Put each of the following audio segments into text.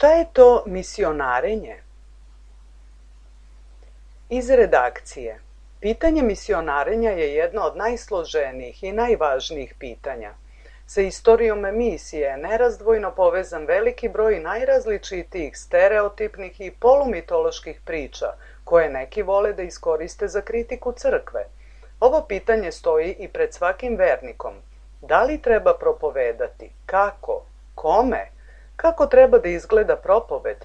Šta je to misionarenje? Iz redakcije. Pitanje misionarenja je jedno od najsloženijih i najvažnijih pitanja. Sa istorijom misije je nerazdvojno povezan veliki broj najrazličitijih stereotipnih i polumitoloških priča, koje neki vole da iskoriste za kritiku crkve. Ovo pitanje stoji i pred svakim vernikom. Da li treba propovedati? Kako? Kome? Kako treba da izgleda propoved?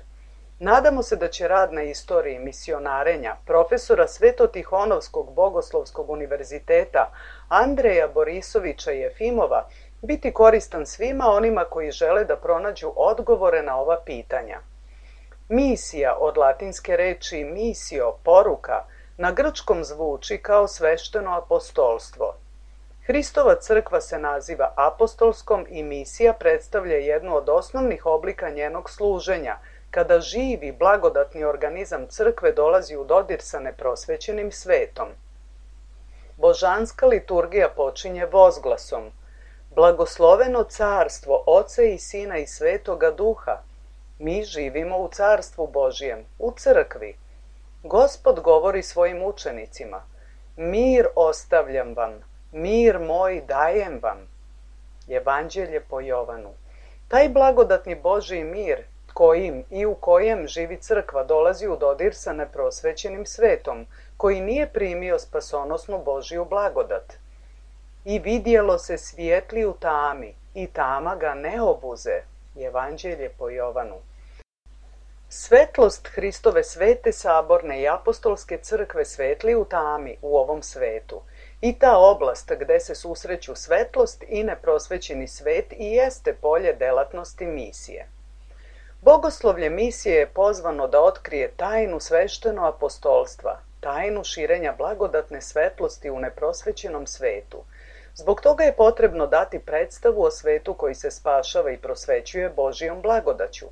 Nadamo se da će rad na istoriji misionarenja profesora Svetotihonovskog bogoslovskog univerziteta Andreja Borisovića Jefimova biti koristan svima onima koji žele da pronađu odgovore na ova pitanja. Misija, od latinske reči misio, poruka, na grčkom zvuči kao svešteno apostolstvo. Hristova crkva se naziva apostolskom i misija predstavlja jednu od osnovnih oblika njenog služenja, kada živi, blagodatni organizam crkve dolazi u dodir sa neprosvećenim svetom. Božanska liturgija počinje vozglasom: Blagosloveno carstvo Oca i Sina i Svetoga Duha. Mi živimo u carstvu Božijem, u crkvi. Gospod govori svojim učenicima: Mir ostavljam vam, mir moj dajem vam. Evanđelje po Jovanu. Taj blagodatni Božji mir, kojim i u kojem živi crkva, dolazi u dodir sa neprosvećenim svetom, koji nije primio spasonosnu Božju blagodat. I vidjelo se svijetli u tami, i tama ga ne obuze. Evanđelje po Jovanu. Svetlost Hristove svete saborne i apostolske crkve svetli u tami u ovom svetu. I ta oblast gde se susreću svetlost i neprosvećeni svet i jeste polje delatnosti misije. Bogoslovlje misije je pozvano da otkrije tajnu svešteno apostolstva, tajnu širenja blagodatne svetlosti u neprosvećenom svetu. Zbog toga je potrebno dati predstavu o svetu koji se spašava i prosvećuje Božijom blagodaću.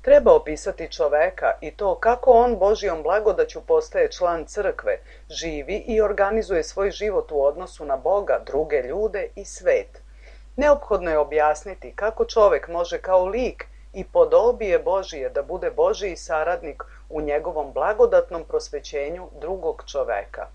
Treba opisati čoveka i to kako on Božijom blagodaću postaje član crkve, živi i organizuje svoj život u odnosu na Boga, druge ljude i svet. Neophodno je objasniti kako čovek može kao lik i podobije Božije da bude Božiji saradnik u njegovom blagodatnom prosvećenju drugog čoveka.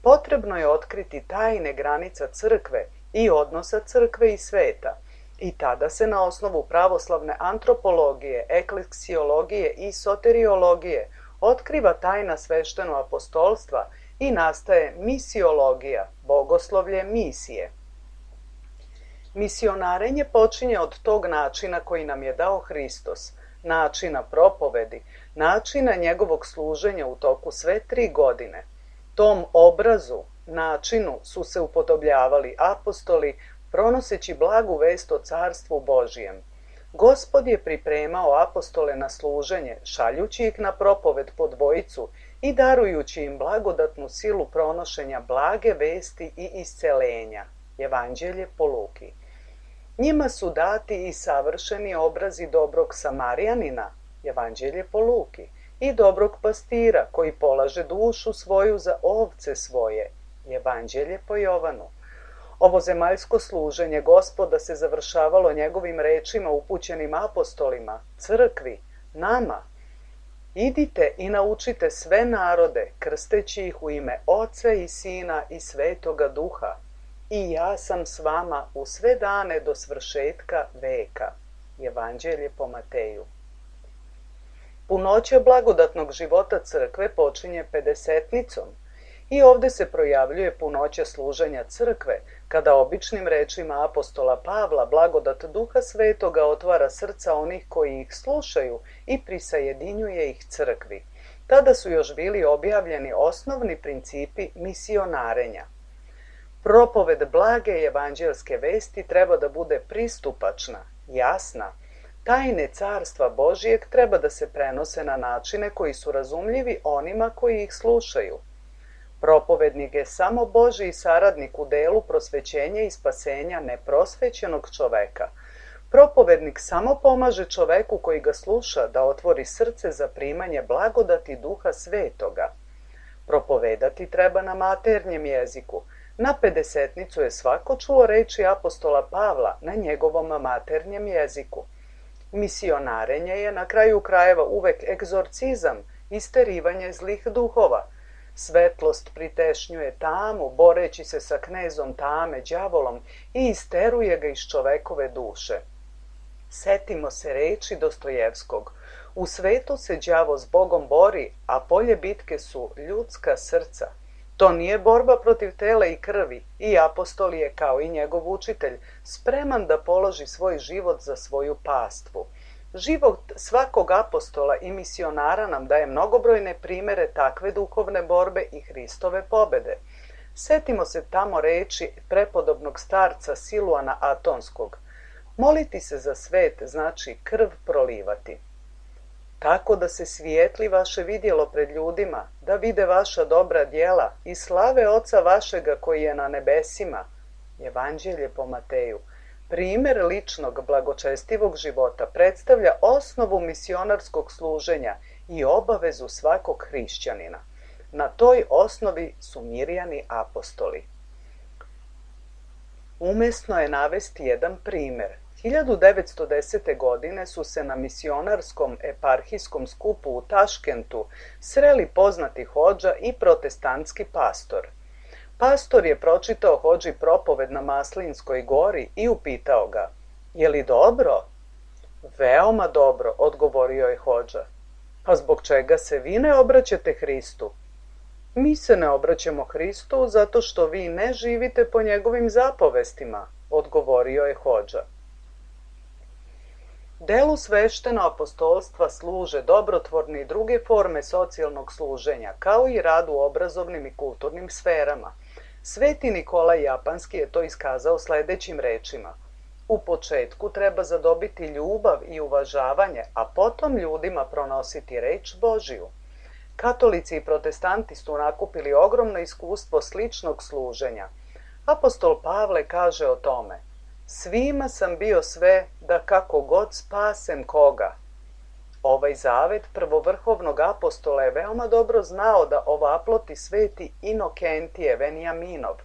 Potrebno je otkriti tajne granica crkve i odnosa crkve i sveta. I tada se na osnovu pravoslavne antropologije, ekleksiologije i soteriologije otkriva tajna svešteno apostolstva i nastaje misiologija, bogoslovlje misije. Misionarenje počinje od tog načina koji nam je dao Hristos, načina propovedi, načina njegovog služenja u toku sve 3 godine. Tom obrazu, načinu su se upodobljavali apostoli, pronoseći blagu vest o carstvu Božijem. Gospod je pripremao apostole na služenje, šaljući ih na propoved po dvojicu i darujući im blagodatnu silu pronošenja blage vesti i iscelenja. Evanđelje po Luki. Njima su dati i savršeni obrazi dobrog Samarijanina, Evanđelje po Luki, i dobrog pastira koji polaže dušu svoju za ovce svoje, Evanđelje po Jovanu. Ovo zemaljsko služenje Gospoda se završavalo njegovim rečima upućenim apostolima, crkvi, nama. Idite i naučite sve narode, krsteći ih u ime Oca i Sina i Svetoga Duha. I ja sam s vama u sve dane do svršetka veka. Evanđelje po Mateju. Punoća blagodatnog života crkve počinje pedesetnicom. I ovde se projavljuje punoća služenja crkve, kada običnim rečima apostola Pavla blagodat Duha Svetoga otvara srca onih koji ih slušaju i prisajedinjuje ih crkvi. Tada su još bili objavljeni osnovni principi misionarenja. Propoved blage evanđelske vesti treba da bude pristupačna, jasna. Tajne carstva Božijeg treba da se prenose na načine koji su razumljivi onima koji ih slušaju. Propovednik je samo Božiji saradnik u delu prosvećenja i spasenja neprosvećenog čoveka. Propovednik samo pomaže čoveku koji ga sluša da otvori srce za primanje blagodati Duha Svetoga. Propovedati treba na maternjem jeziku. Na pedesetnicu je svako čuo reči apostola Pavla na njegovom maternjem jeziku. Misionarenje je na kraju krajeva uvek egzorcizam, isterivanje zlih duhova. Svetlost pritešnjuje tamu, boreći se sa knezom tame, đavolom, i isteruje ga iz čovekove duše. Setimo se reči Dostojevskog. U svetu se đavo s Bogom bori, a polje bitke su ljudska srca. To nije borba protiv tela i krvi, i apostol je, kao i njegov učitelj, spreman da položi svoj život za svoju pastvu. Život svakog apostola i misionara nam daje mnogobrojne primere takve duhovne borbe i Hristove pobede. Setimo se tamo reči prepodobnog starca Siluana Atonskog. Moliti se za svet znači krv prolivati. Tako da se svijetli vaše vidjelo pred ljudima, da vide vaša dobra djela i slave Oca vašega koji je na nebesima. Evanđelje po Mateju. Primer ličnog blagočestivog života predstavlja osnovu misionarskog služenja i obavezu svakog hrišćanina. Na toj osnovi su Mirjani apostoli. Umesno je navesti jedan primer. 1910. godine su se na misionarskom eparhijskom skupu u Taškentu sreli poznati hodža i protestantski pastor. Pastor je pročitao hodži propoved na Maslinskoj gori i upitao ga: "Je li dobro?" "Veoma dobro," odgovorio je hodža. "A zbog čega se vi ne obraćate Hristu?" "Mi se ne obraćamo Hristu zato što vi ne živite po njegovim zapovestima," odgovorio je hodža. Delu svešteno apostolstva služe dobrotvorne i druge forme socijalnog služenja, kao i rad u obrazovnim i kulturnim sferama. Sveti Nikolaj Japanski je to iskazao sljedećim rečima: u početku treba zadobiti ljubav i uvažavanje, a potom ljudima pronositi reč Božiju. Katolici i protestanti su nakupili ogromno iskustvo sličnog služenja. Apostol Pavle kaže o tome: svima sam bio sve da kako god spasem koga. Ovaj zavet prvovrhovnog apostola je veoma dobro znao da ovaploti sveti Inokentije Venijaminov.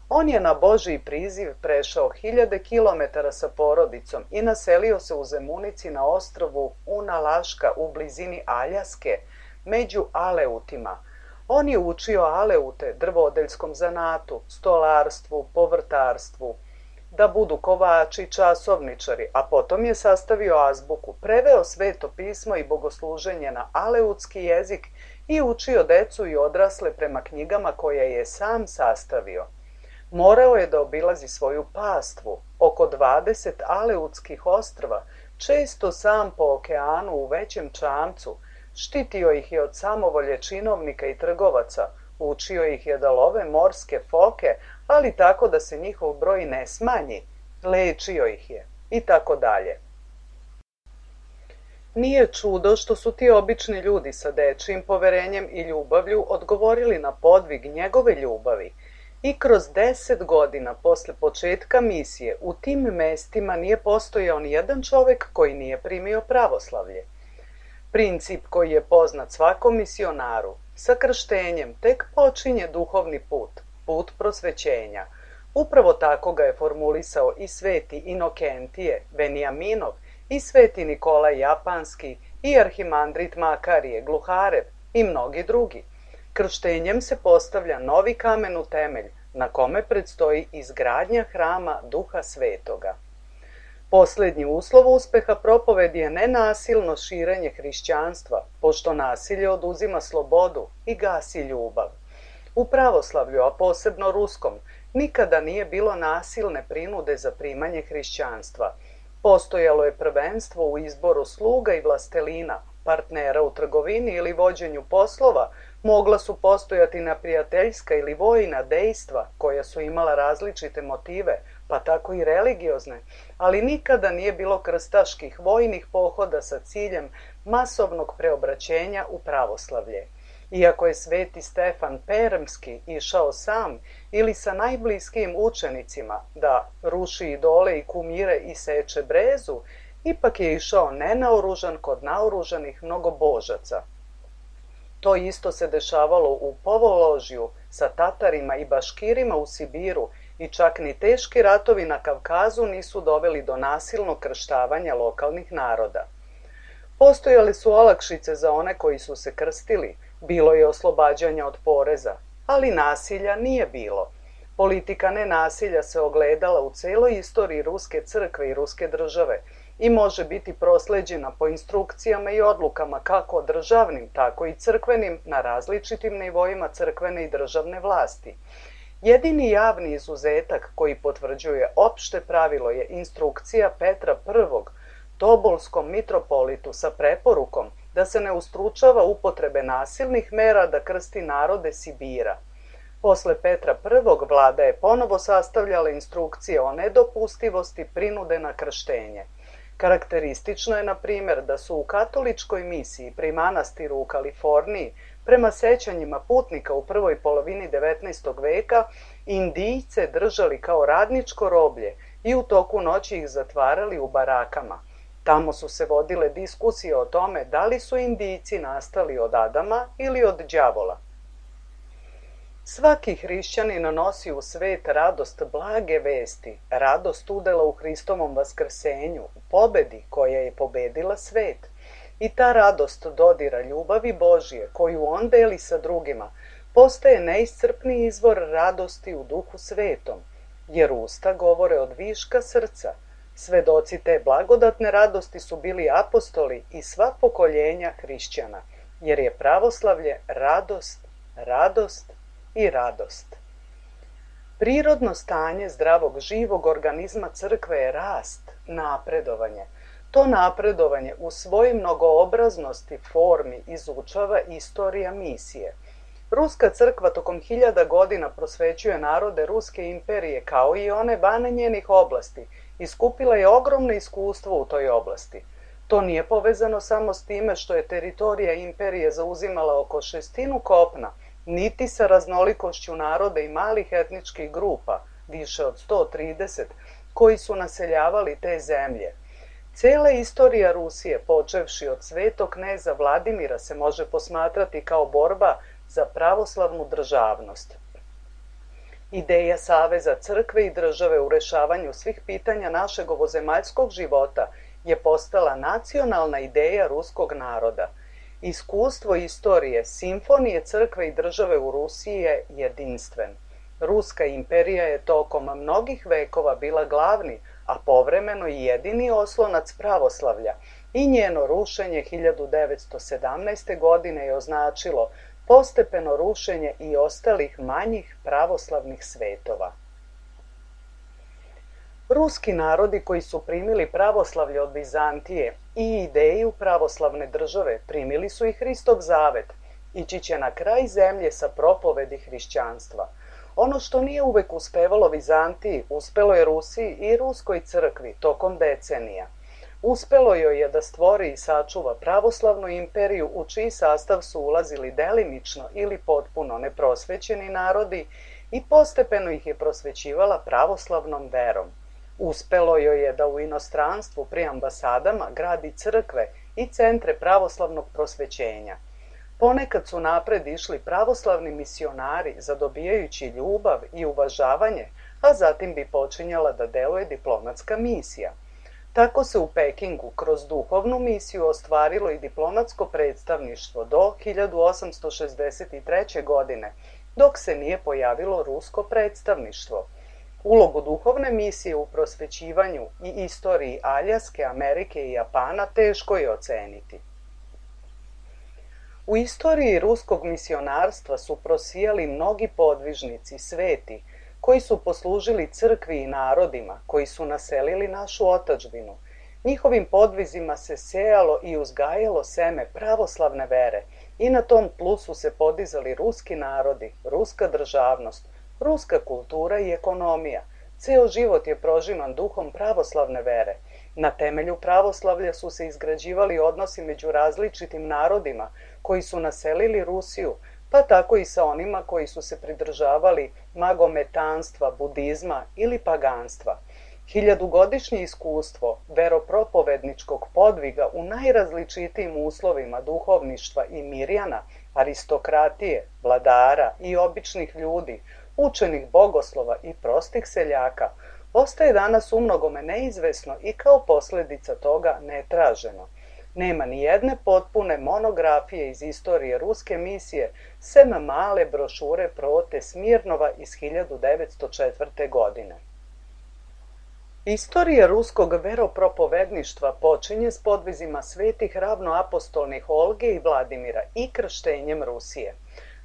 On je na Božji priziv prešao 1000 kilometara sa porodicom i naselio se u Zemunici na ostrvu Unalaška u blizini Aljaske, među Aleutima. On je učio Aleute drvodeljskom zanatu, stolarstvu, povrtarstvu, da budu kovači, časovničari, a potom je sastavio azbuku, preveo sveto pismo i bogosluženje na aleutski jezik i učio decu i odrasle prema knjigama koje je sam sastavio. Morao je da obilazi svoju pastvu, oko 20 aleutskih ostrva, često sam po okeanu u većem čamcu, štitio ih je od samovolje činovnika i trgovaca, učio ih je da love morske foke, ali tako da se njihov broj ne smanji, lečio ih je i tako dalje. Nije čudo što su ti obični ljudi sa dečijim poverenjem i ljubavlju odgovorili na podvig njegove ljubavi. I kroz 10 godina posle početka misije u tim mestima nije postojao ni jedan čovek koji nije primio pravoslavlje. Princip koji je poznat svakom misionaru, sa krštenjem tek počinje duhovni put, put prosvećenja. Upravo tako ga je formulisao i sveti Inokentije Venijaminov, i sveti Nikolaj Japanski, i arhimandrit Makarije Gluharev i mnogi drugi. Krštenjem se postavlja novi kamen u temelj, na kome predstoji izgradnja hrama Duha Svetoga. Posljednji uslov uspeha propovedi je nenasilno širenje hrišćanstva, pošto nasilje oduzima slobodu i gasi ljubav. U pravoslavlju, a posebno ruskom, nikada nije bilo nasilne prinude za primanje hrišćanstva. Postojalo je prvenstvo u izboru sluga i vlastelina, partnera u trgovini ili vođenju poslova, mogla su postojati neprijateljska ili vojna dejstva koja su imala različite motive, pa tako i religiozne, ali nikada nije bilo krstaških vojnih pohoda sa ciljem masovnog preobraćenja u pravoslavlje. Iako je sveti Stefan Permski išao sam ili sa najbliskijim učenicima da ruši idole i kumire i seče brezu, ipak je išao nenaoružan kod naoružanih mnogobožaca. To isto se dešavalo u Povoložju sa Tatarima i Baškirima u Sibiru i čak ni teški ratovi na Kavkazu nisu doveli do nasilnog krštavanja lokalnih naroda. Postojale su olakšice za one koji su se krstili, bilo je oslobađanja od poreza, ali nasilja nije bilo. Politika nenasilja se ogledala u celoj istoriji Ruske crkve i Ruske države i može biti prosleđena po instrukcijama i odlukama kako državnim, tako i crkvenim na različitim nivoima crkvene i državne vlasti. Jedini javni izuzetak koji potvrđuje opšte pravilo je instrukcija Petra I, Tobolskom mitropolitu sa preporukom da se ne ustručava upotrebe nasilnih mera da krsti narode Sibira. Posle Petra I vlada je ponovo sastavljala instrukcije o nedopustivosti prinude na krštenje. Karakteristično je, na primjer, da su u katoličkoj misiji pri manastiru u Kaliforniji, prema sećanjima putnika u prvoj polovini 19. veka, Indijce držali kao radničko roblje i u toku noći ih zatvarali u barakama. Tamo su se vodile diskusije o tome da li su Indijci nastali od Adama ili od đavola. Svaki hrišćanin nosi u svet radost blage vesti, radost udela u Hristovom vaskrsenju, u pobedi koja je pobedila svet. I ta radost dodira ljubavi Božije, koju on deli sa drugima, postaje neiscrpni izvor radosti u Duhu Svetom, jer usta govore od viška srca. Svedoci te blagodatne radosti su bili apostoli i sva pokoljenja hrišćana, jer je pravoslavlje radost, radost i radost. Prirodno stanje zdravog živog organizma crkve je rast, napredovanje. To napredovanje u svojoj mnogoobraznosti formi izučava istorija misije. Ruska crkva tokom 1000 godina prosvećuje narode Ruske imperije kao i one van njenih oblasti i skupila je ogromno iskustvo u toj oblasti. To nije povezano samo s time što je teritorija imperije zauzimala oko 1/6 kopna, niti sa raznolikošću naroda i malih etničkih grupa, više od 130, koji su naseljavali te zemlje. Cela istorija Rusije, počevši od svetog kneza Vladimira, se može posmatrati kao borba za pravoslavnu državnost. Ideja saveza crkve i države u rešavanju svih pitanja našeg ovozemaljskog života je postala nacionalna ideja ruskog naroda. Iskustvo istorije, simfonije crkve i države u Rusiji je jedinstven. Ruska imperija je tokom mnogih vekova bila glavni, a povremeno i jedini oslonac pravoslavlja i njeno rušenje 1917. godine je označilo postepeno rušenje i ostalih manjih pravoslavnih svetova. Ruski narodi koji su primili pravoslavlje od Bizantije i ideju pravoslavne države primili su i Hristov zavet, ići će na kraj zemlje sa propovedi hrišćanstva. Ono što nije uvek uspevalo Vizantiji, uspelo je Rusiji i Ruskoj crkvi tokom decenija. Uspelo joj je da stvori i sačuva pravoslavnu imperiju u čiji sastav su ulazili delimično ili potpuno neprosvećeni narodi i postepeno ih je prosvećivala pravoslavnom verom. Uspelo joj je da u inostranstvu pri ambasadama gradi crkve i centre pravoslavnog prosvećenja. Ponekad su napred išli pravoslavni misionari zadobijajući ljubav i uvažavanje, a zatim bi počinjala da deluje diplomatska misija. Tako se u Pekingu kroz duhovnu misiju ostvarilo i diplomatsko predstavništvo do 1863. godine, dok se nije pojavilo rusko predstavništvo. Ulogu duhovne misije u prosvećivanju i istoriji Aljaske, Amerike i Japana teško je oceniti. U istoriji ruskog misionarstva su prosijali mnogi podvižnici, sveti, koji su poslužili crkvi i narodima, koji su naselili našu otadžbinu. Njihovim podvizima se sejalo i uzgajalo seme pravoslavne vere i na tom tlu su se podizali ruski narodi, ruska državnost, ruska kultura i ekonomija. Ceo život je prožiman duhom pravoslavne vere. Na temelju pravoslavlja su se izgrađivali odnosi među različitim narodima koji su naselili Rusiju, pa tako i sa onima koji su se pridržavali magometanstva, budizma ili paganstva. 1000-godišnje iskustvo veropropovedničkog podviga u najrazličitijim uslovima duhovništva i mirjana, aristokratije, vladara i običnih ljudi, učenih bogoslova i prostih seljaka, ostaje danas umnogome neizvesno i kao posljedica toga netraženo. Nema ni jedne potpune monografije iz istorije ruske misije, sem male brošure Prote Smirnova iz 1904. godine. Istorija ruskog veropropovedništva počinje s podvizima svetih ravnoapostolnih Olge i Vladimira i krštenjem Rusije.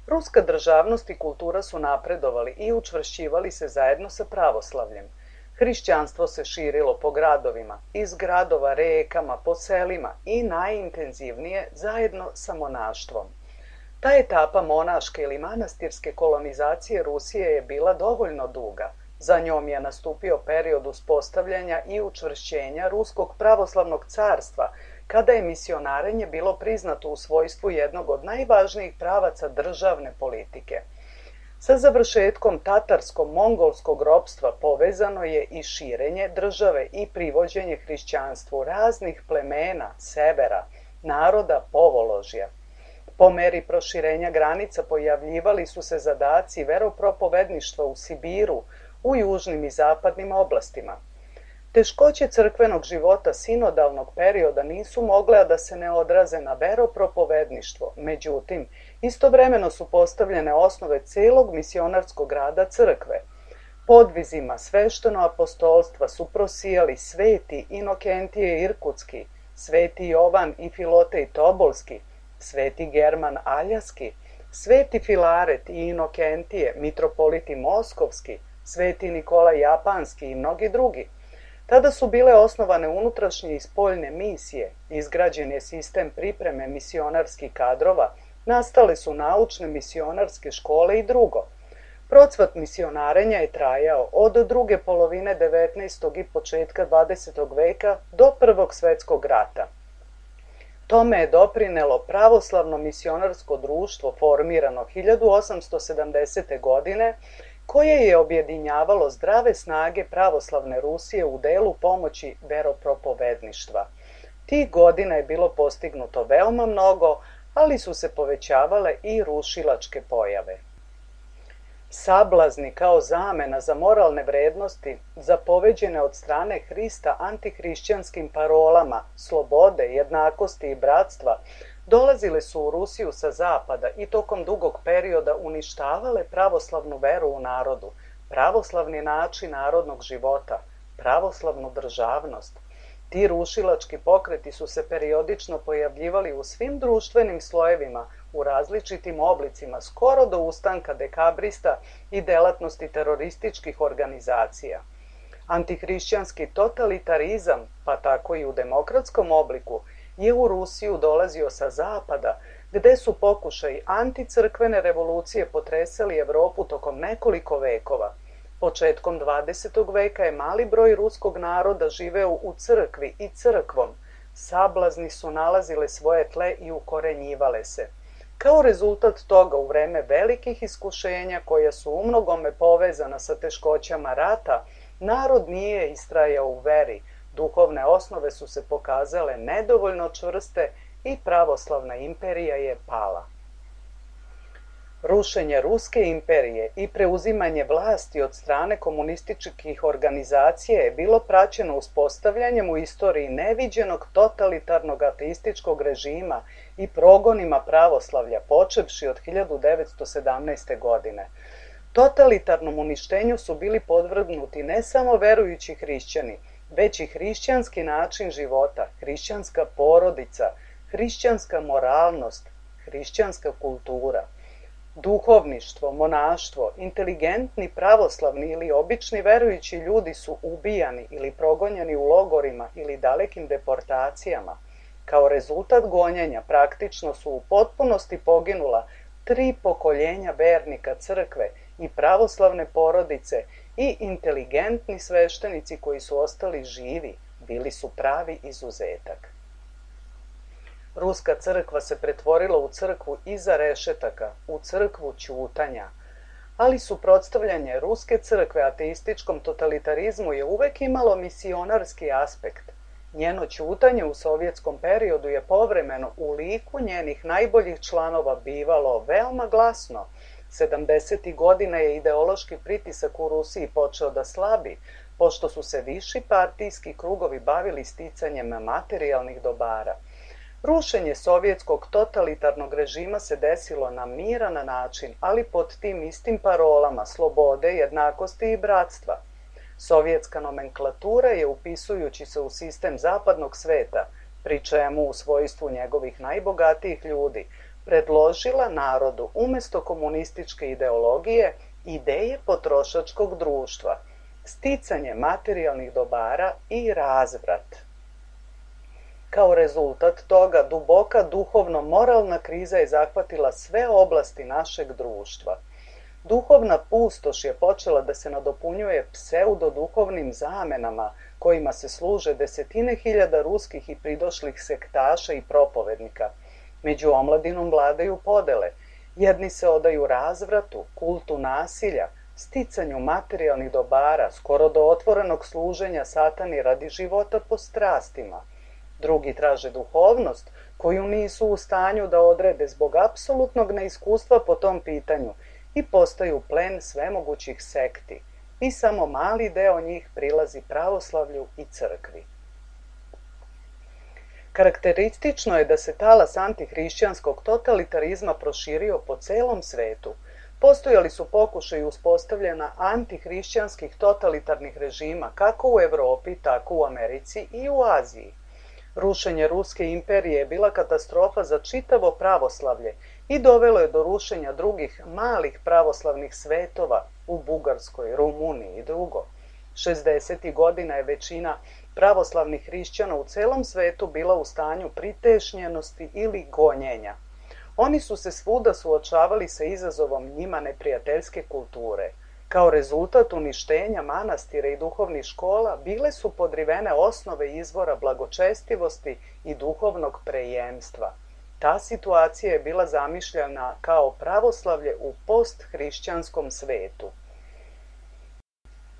Ruska državnost i kultura su napredovali i učvršćivali se zajedno sa pravoslavljem. Hrišćanstvo se širilo po gradovima, iz gradova rekama, po selima i najintenzivnije zajedno sa monaštvom. Ta etapa monaške ili manastirske kolonizacije Rusije je bila dovoljno duga. Za njom je nastupio period uspostavljanja i učvršćenja Ruskog pravoslavnog carstva, kada je misionarenje bilo priznato u svojstvu jednog od najvažnijih pravaca državne politike. Sa završetkom tatarsko-mongolskog ropstva povezano je i širenje države i privođenje hrišćanstvu raznih plemena, severa, naroda, povoložja. Po meri proširenja granica pojavljivali su se zadaci veropropovedništva u Sibiru, u južnim i zapadnim oblastima. Teškoće crkvenog života sinodalnog perioda nisu mogle da se ne odraze na veropropovedništvo, međutim, istovremeno su postavljene osnove celog misionarskog rada crkve. Podvizima svešteno-apostolstva su prosijali sveti Inokentije Irkutski, sveti Jovan i Filotej Tobolski, sveti German Aljaski, sveti Filaret i Inokentije, mitropoliti Moskovski, sveti Nikolaj Japanski i mnogi drugi. Tada su bile osnovane unutrašnje i spoljne misije, izgrađen je sistem pripreme misionarskih kadrova, nastale su naučne misionarske škole i drugo. Procvat misionarenja je trajao od druge polovine 19. i početka 20. veka do Prvog svjetskog rata. Tome je doprinelo pravoslavno misionarsko društvo formirano 1870. godine, koje je objedinjavalo zdrave snage pravoslavne Rusije u delu pomoći veropropovedništva. Tih godina je bilo postignuto veoma mnogo, ali su se povećavale i rušilačke pojave. Sablazni kao zamena za moralne vrednosti, zapoveđene od strane Hrista antihrišćanskim parolama slobode, jednakosti i bratstva, dolazile su u Rusiju sa zapada i tokom dugog perioda uništavale pravoslavnu veru u narodu, pravoslavni način narodnog života, pravoslavnu državnost. Ti rušilački pokreti su se periodično pojavljivali u svim društvenim slojevima, u različitim oblicima, skoro do ustanka dekabrista i delatnosti terorističkih organizacija. Antihrišćanski totalitarizam, pa tako i u demokratskom obliku, je u Rusiju dolazio sa zapada, gde su pokušaji anticrkvene revolucije potresali Evropu tokom nekoliko vekova. Početkom 20. veka je mali broj ruskog naroda živeo u crkvi i crkvom. Sablazni su nalazile svoje tle i ukorenjivale se. Kao rezultat toga, u vreme velikih iskušenja koja su umnogome povezana sa teškoćama rata, narod nije istrajao u veri, duhovne osnove su se pokazale nedovoljno čvrste i pravoslavna imperija je pala. Rušenje Ruske imperije i preuzimanje vlasti od strane komunističkih organizacija je bilo praćeno uspostavljanjem u istoriji neviđenog totalitarnog ateističkog režima i progonima pravoslavlja, počevši od 1917. godine. Totalitarnom uništenju su bili podvrgnuti ne samo verujući hrišćani, već i hrišćanski način života, hrišćanska porodica, hrišćanska moralnost, hrišćanska kultura. Duhovništvo, monaštvo, inteligentni pravoslavni ili obični verujući ljudi su ubijani ili progonjeni u logorima ili dalekim deportacijama. Kao rezultat gonjenja praktično su u potpunosti poginula 3 pokoljenja vernika crkve i pravoslavne porodice i inteligentni sveštenici koji su ostali živi, bili su pravi izuzetak. Ruska crkva se pretvorila u crkvu iza rešetaka, u crkvu ćutanja, ali suprotstavljanje Ruske crkve ateističkom totalitarizmu je uvek imalo misionarski aspekt. Njeno ćutanje u sovjetskom periodu je povremeno u liku njenih najboljih članova bivalo veoma glasno. 70. godina je ideološki pritisak u Rusiji počeo da slabi, pošto su se viši partijski krugovi bavili sticanjem materijalnih dobara. Rušenje sovjetskog totalitarnog režima se desilo na miran način, ali pod tim istim parolama slobode, jednakosti i bratstva. Sovjetska nomenklatura je, upisujući se u sistem zapadnog sveta, pri čemu u svojstvu njegovih najbogatijih ljudi, predložila narodu umesto komunističke ideologije ideje potrošačkog društva, sticanje materijalnih dobara i razvrat. Kao rezultat toga, duboka duhovno-moralna kriza je zahvatila sve oblasti našeg društva. Duhovna pustoš je počela da se nadopunjuje pseudoduhovnim zamenama kojima se služe desetine hiljada ruskih i pridošlih sektaša i propovednika. Među omladinom vladaju podele. Jedni se odaju razvratu, kultu nasilja, sticanju materijalnih dobara, skoro do otvorenog služenja satani radi života po strastima. Drugi traže duhovnost, koju nisu u stanju da odrede zbog apsolutnog neiskustva po tom pitanju i postaju plen svemogućih sekti. I samo mali deo njih prilazi pravoslavlju i crkvi. Karakteristično je da se talas antihrišćanskog totalitarizma proširio po celom svetu. Postojali su pokušaji uspostavljena antihrišćanskih totalitarnih režima kako u Evropi, tako u Americi i u Aziji. Rušenje Ruske imperije je bila katastrofa za čitavo pravoslavlje i dovelo je do rušenja drugih malih pravoslavnih svetova u Bugarskoj, Rumuniji i drugo. 60. godina je većina pravoslavnih hrišćana u celom svetu bila u stanju pritešnjenosti ili gonjenja. Oni su se svuda suočavali sa izazovom njima neprijateljske kulture. Kao rezultat uništenja manastira i duhovnih škola bile su podrivene osnove izvora blagočestivosti i duhovnog prejemstva. Ta situacija je bila zamišljena kao pravoslavlje u posthrišćanskom svetu.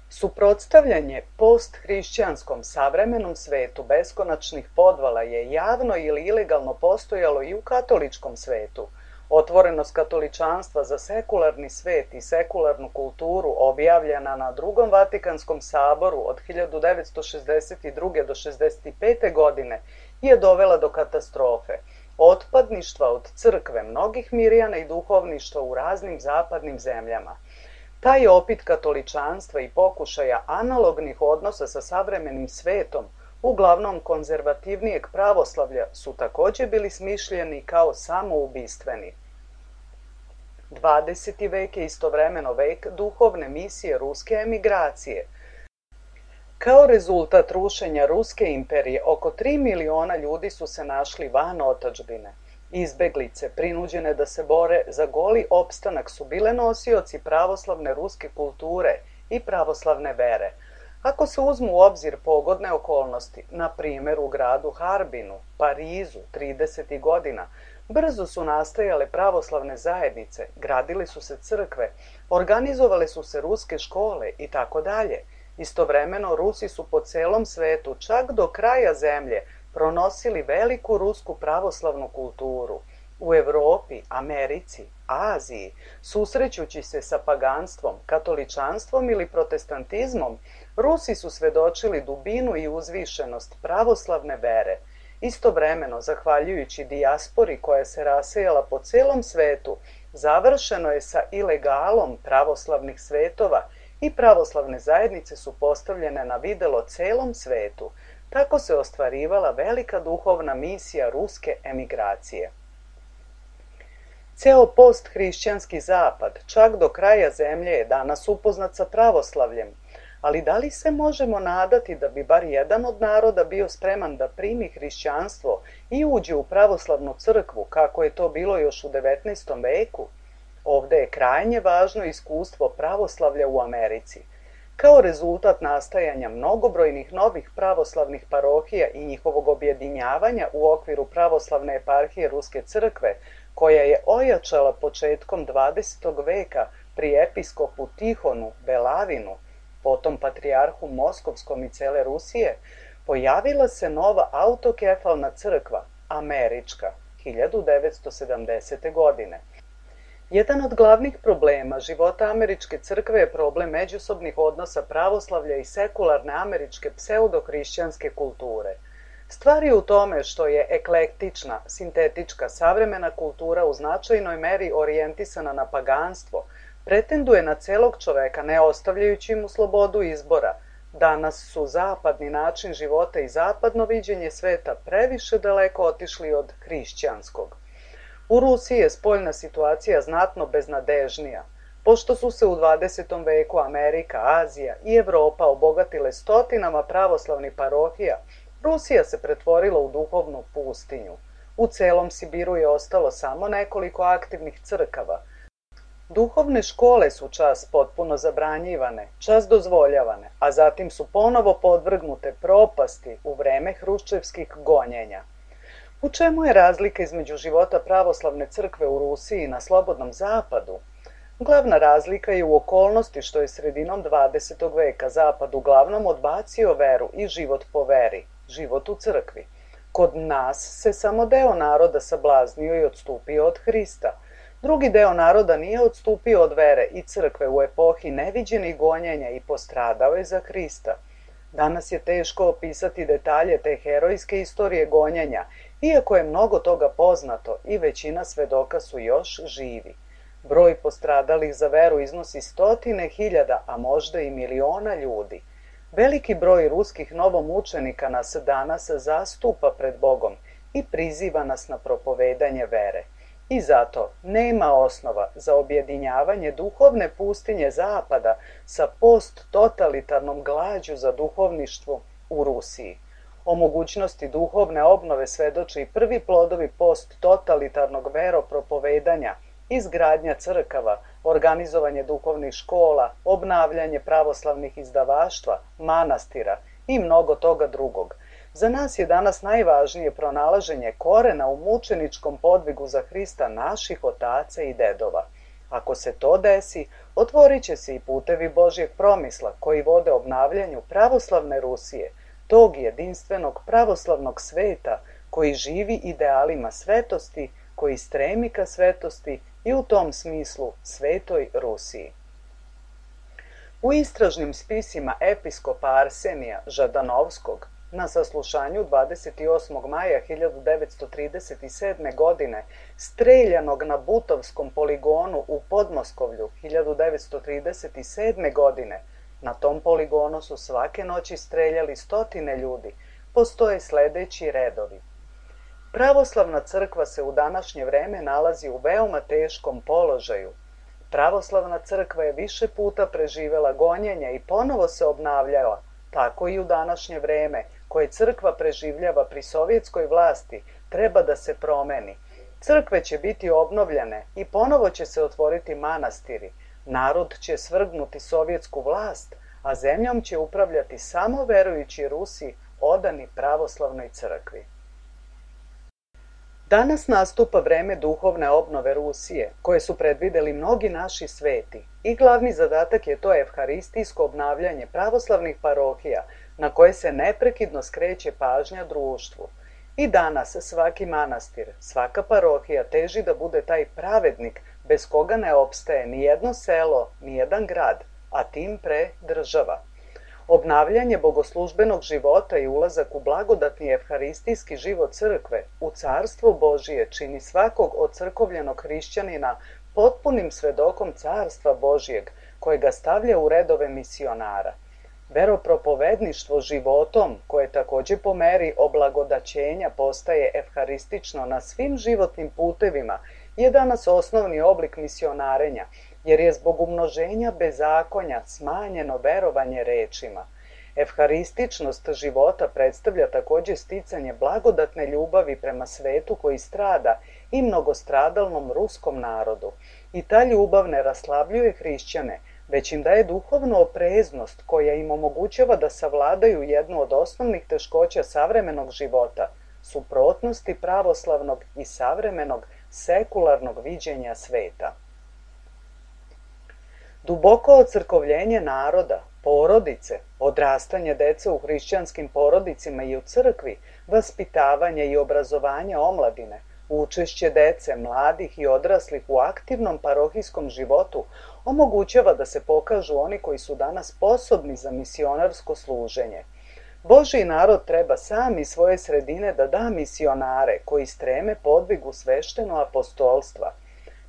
Suprotstavljanje posthrišćanskom savremenom svetu beskonačnih podvala je javno ili ilegalno postojalo i u katoličkom svetu. Otvorenost katoličanstva za sekularni svet i sekularnu kulturu objavljena na Drugom Vatikanskom saboru od 1962. do 65. godine je dovela do katastrofe, otpadništva od crkve mnogih mirjana i duhovništva u raznim zapadnim zemljama. Taj opit katoličanstva i pokušaja analognih odnosa sa savremenim svetom, uglavnom konzervativnijeg pravoslavlja, su također bili smišljeni kao samoubistveni. 20. vek je istovremeno vek duhovne misije ruske emigracije. Kao rezultat rušenja Ruske imperije, oko 3 miliona ljudi su se našli van otadžbine. Izbeglice, prinuđene da se bore za goli opstanak, su bile nosioci pravoslavne ruske kulture i pravoslavne vere. Ako se uzmu u obzir pogodne okolnosti, na primjer u gradu Harbinu, Parizu, 30. godina, brzo su nastajale pravoslavne zajednice, gradili su se crkve, organizovale su se ruske škole i tako dalje. Istovremeno Rusi su po celom svetu, čak do kraja zemlje, pronosili veliku rusku pravoslavnu kulturu. U Evropi, Americi, Aziji, susrećući se sa paganstvom, katoličanstvom ili protestantizmom, Rusi su svedočili dubinu i uzvišenost pravoslavne vere. Istovremeno, zahvaljujući dijaspori koja se rasejala po celom svetu, završeno je sa ilegalom pravoslavnih svetova i pravoslavne zajednice su postavljene na videlo celom svetu. Tako se ostvarivala velika duhovna misija ruske emigracije. Ceo posthrišćanski zapad, čak do kraja zemlje, je danas upoznat sa pravoslavljem, ali da li se možemo nadati da bi bar jedan od naroda bio spreman da primi hrišćanstvo i uđe u pravoslavnu crkvu, kako je to bilo još u 19. veku? Ovde je krajnje važno iskustvo pravoslavlja u Americi. Kao rezultat nastajanja mnogobrojnih novih pravoslavnih parohija i njihovog objedinjavanja u okviru pravoslavne eparhije Ruske crkve, koja je ojačala početkom 20. veka pri episkopu Tihonu Belavinu, potom patrijarhu Moskovskom i cele Rusije, pojavila se nova autokefalna crkva, američka, 1970. godine. Jedan od glavnih problema života američke crkve je problem međusobnih odnosa pravoslavlja i sekularne američke pseudohrišćanske kulture. Stvar je u tome što je eklektična, sintetička, savremena kultura u značajnoj meri orijentisana na paganstvo, pretenduje na celog čoveka, ne ostavljajući mu slobodu izbora. Danas su zapadni način života i zapadno viđenje sveta previše daleko otišli od hrišćanskog. U Rusiji je spoljna situacija znatno beznadežnija. Pošto su se u 20. veku Amerika, Azija i Evropa obogatile stotinama pravoslavnih parohija, Rusija se pretvorila u duhovnu pustinju. U celom Sibiru je ostalo samo nekoliko aktivnih crkava. Duhovne škole su čas potpuno zabranjivane, čas dozvoljavane, a zatim su ponovo podvrgnute propasti u vreme hruščevskih gonjenja. U čemu je razlika između života pravoslavne crkve u Rusiji i na slobodnom zapadu? Glavna razlika je u okolnosti što je sredinom 20. veka Zapad uglavnom odbacio veru i život po veri, život u crkvi. Kod nas se samo deo naroda sablaznio i odstupio od Hrista. Drugi deo naroda nije odstupio od vere i crkve u epohi neviđenih gonjenja i postradao je za Hrista. Danas je teško opisati detalje te herojske istorije gonjenja, iako je mnogo toga poznato i većina svedoka su još živi. Broj postradalih za veru iznosi stotine hiljada, a možda i miliona ljudi. Veliki broj ruskih novomučenika nas danas zastupa pred Bogom i priziva nas na propovedanje vere. I zato nema osnova za objedinjavanje duhovne pustinje Zapada sa posttotalitarnom glađu za duhovništvo u Rusiji. O mogućnosti duhovne obnove svedoče i prvi plodovi posttotalitarnog veropropovedanja, izgradnja crkava, organizovanje duhovnih škola, obnavljanje pravoslavnih izdavaštva, manastira i mnogo toga drugog. Za nas je danas najvažnije pronalaženje korena u mučeničkom podvigu za Hrista naših otaca i dedova. Ako se to desi, otvorit će se i putevi Božjeg promisla koji vode obnavljanju pravoslavne Rusije, tog jedinstvenog pravoslavnog sveta koji živi idealima svetosti, koji stremi ka svetosti i u tom smislu svetoj Rusiji. U istražnim spisima episkopa Arsenija Žadanovskog na saslušanju 28. maja 1937. godine, streljanog na Butovskom poligonu u Podmoskovlju 1937. godine, na tom poligonu su svake noći streljali stotine ljudi, postoje sledeći redovi. Pravoslavna crkva se u današnje vreme nalazi u veoma teškom položaju. Pravoslavna crkva je više puta preživela gonjenja i ponovo se obnavljala, tako i u današnje vreme, koje crkva preživljava pri sovjetskoj vlasti, treba da se promeni. Crkve će biti obnovljene i ponovo će se otvoriti manastiri. Narod će svrgnuti sovjetsku vlast, a zemljom će upravljati samo verujući Rusi odani pravoslavnoj crkvi. Danas nastupa vreme duhovne obnove Rusije, koje su predvideli mnogi naši sveti, i glavni zadatak je to evharistijsko obnavljanje pravoslavnih parohija, na koje se neprekidno skreće pažnja društvu. I danas svaki manastir, svaka parohija teži da bude taj pravednik bez koga ne opstaje ni jedno selo, ni jedan grad, a tim pre država. Obnavljanje bogoslužbenog života i ulazak u blagodatni evharistijski život crkve, u carstvo Božije, čini svakog ocrkovljenog hrišćanina potpunim svedokom carstva Božijeg, koje ga stavlja u redove misionara. Veropropovedništvo životom, koje takođe po meri oblagodaćenja postaje evharistično na svim životnim putevima, je danas osnovni oblik misionarenja, jer je zbog umnoženja bezakonja smanjeno verovanje rečima. Evharističnost života predstavlja takođe sticanje blagodatne ljubavi prema svetu koji strada i mnogostradalnom ruskom narodu. I ta ljubav ne raslabljuje hrišćane, već im daje duhovnu opreznost koja im omogućava da savladaju jednu od osnovnih teškoća savremenog života, suprotnosti pravoslavnog i savremenog sekularnog viđenja sveta. Duboko ocrkovljenje naroda, porodice, odrastanje dece u hrišćanskim porodicima i u crkvi, vaspitavanje i obrazovanje omladine, učešće dece, mladih i odraslih u aktivnom parohijskom životu omogućava da se pokažu oni koji su danas sposobni za misionarsko služenje. Božji narod treba sam iz svoje sredine da da misionare koji streme podvigu svešteno apostolstva.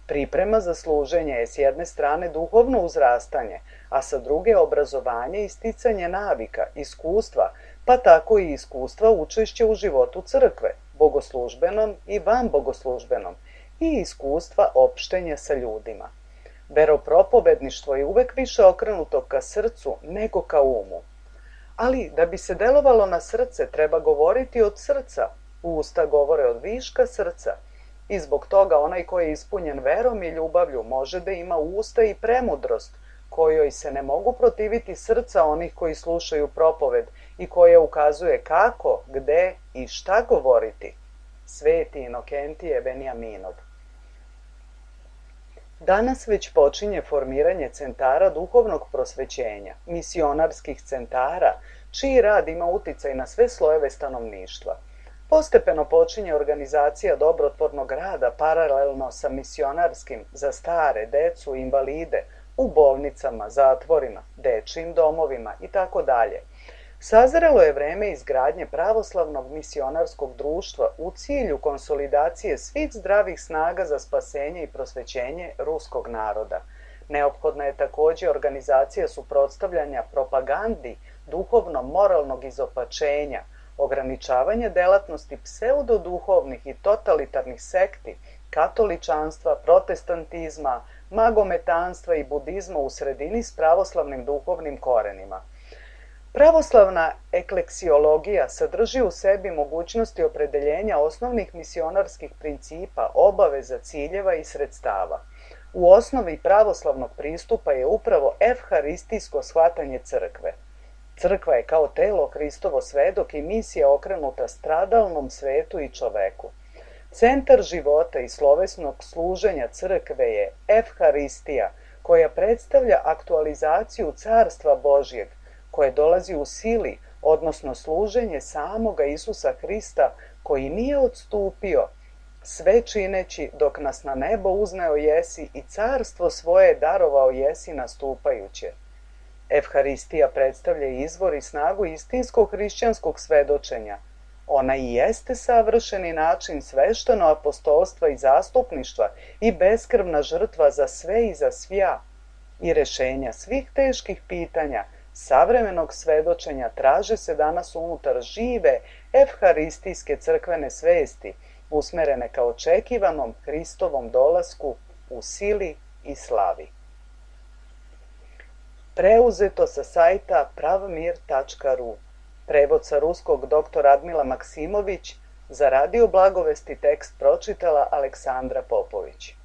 Priprema za služenje je s jedne strane duhovno uzrastanje, a sa druge obrazovanje i sticanje navika, iskustva, pa tako i iskustva učešća u životu crkve, bogoslužbenom i vanbogoslužbenom, i iskustva opštenja sa ljudima. Veropropovedništvo je uvek više okrenuto ka srcu nego ka umu. Ali da bi se delovalo na srce treba govoriti od srca, usta govore od viška srca, i zbog toga onaj koji je ispunjen verom i ljubavlju može da ima usta i premudrost, kojoj se ne mogu protiviti srca onih koji slušaju propoved i koja ukazuje kako, gde i šta govoriti. Sveti Inokentije Benjaminov. Danas već počinje formiranje centara duhovnog prosvećenja, misionarskih centara, čiji rad ima uticaj na sve slojeve stanovništva. Postepeno počinje organizacija dobrotvornog rada paralelno sa misionarskim za stare, decu, invalide, u bolnicama, zatvorima, dečijim domovima itd. Sazrelo je vreme izgradnje pravoslavnog misionarskog društva u cilju konsolidacije svih zdravih snaga za spasenje i prosvećenje ruskog naroda. Neophodna je takođe organizacija suprotstavljanja propagandi duhovno-moralnog izopačenja, ograničavanje delatnosti pseudoduhovnih i totalitarnih sekti katoličanstva, protestantizma, magometanstva i budizma u sredini s pravoslavnim duhovnim korenima. Pravoslavna ekleksiologija sadrži u sebi mogućnosti opredeljenja osnovnih misionarskih principa, obaveza, ciljeva i sredstava. U osnovi pravoslavnog pristupa je upravo evharistijsko shvatanje crkve. Crkva je kao telo Hristovo svedok i misija okrenuta stradalnom svetu i čoveku. Centar života i slovesnog služenja crkve je evharistija, koja predstavlja aktualizaciju carstva Božjeg, koje dolazi u sili, odnosno služenje samoga Isusa Hrista, koji nije odstupio, sve čineći dok nas na nebo uzneo jesi i carstvo svoje darovao jesi nastupajuće. Evharistija predstavlja izvor i snagu istinskog hrišćanskog svedočenja. Ona i jeste savršeni način svešteno apostolstva i zastupništva i beskrvna žrtva za sve i za svja. I rešenja svih teških pitanja savremenog svedočenja traže se danas unutar žive evharistijske crkvene svesti, usmerene ka očekivanom Hristovom dolasku u sili i slavi. Preuzeto sa sajta pravmir.ru. Prevod sa ruskog dr. Radmila Maksimović, za Radio Blagovesti tekst pročitala Aleksandra Popović.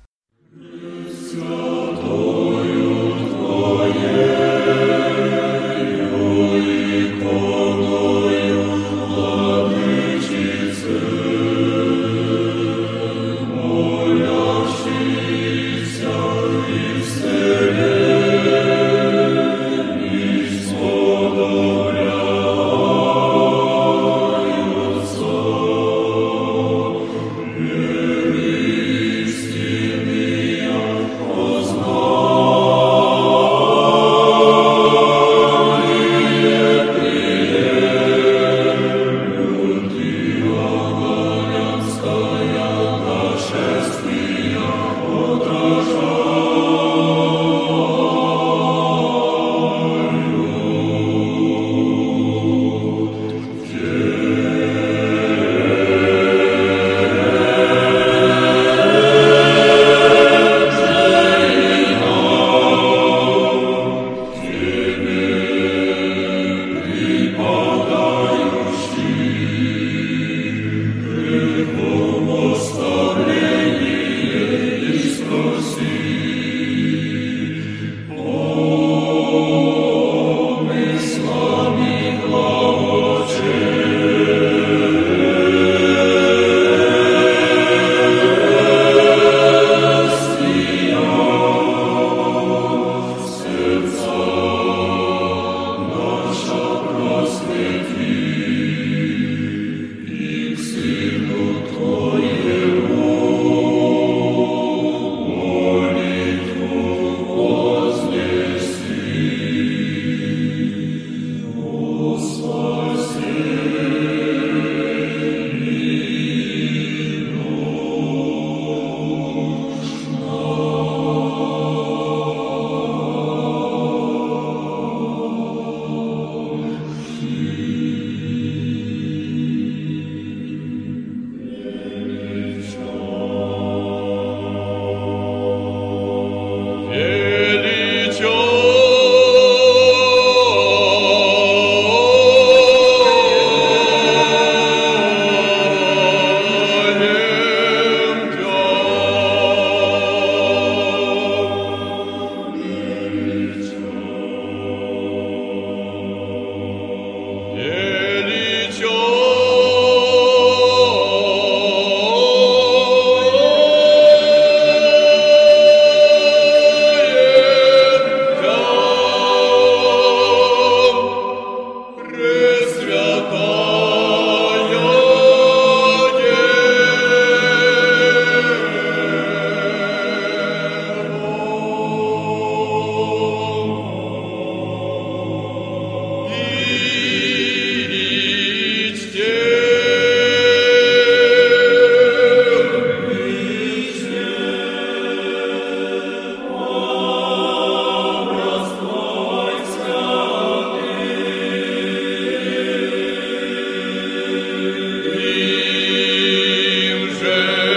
Im, że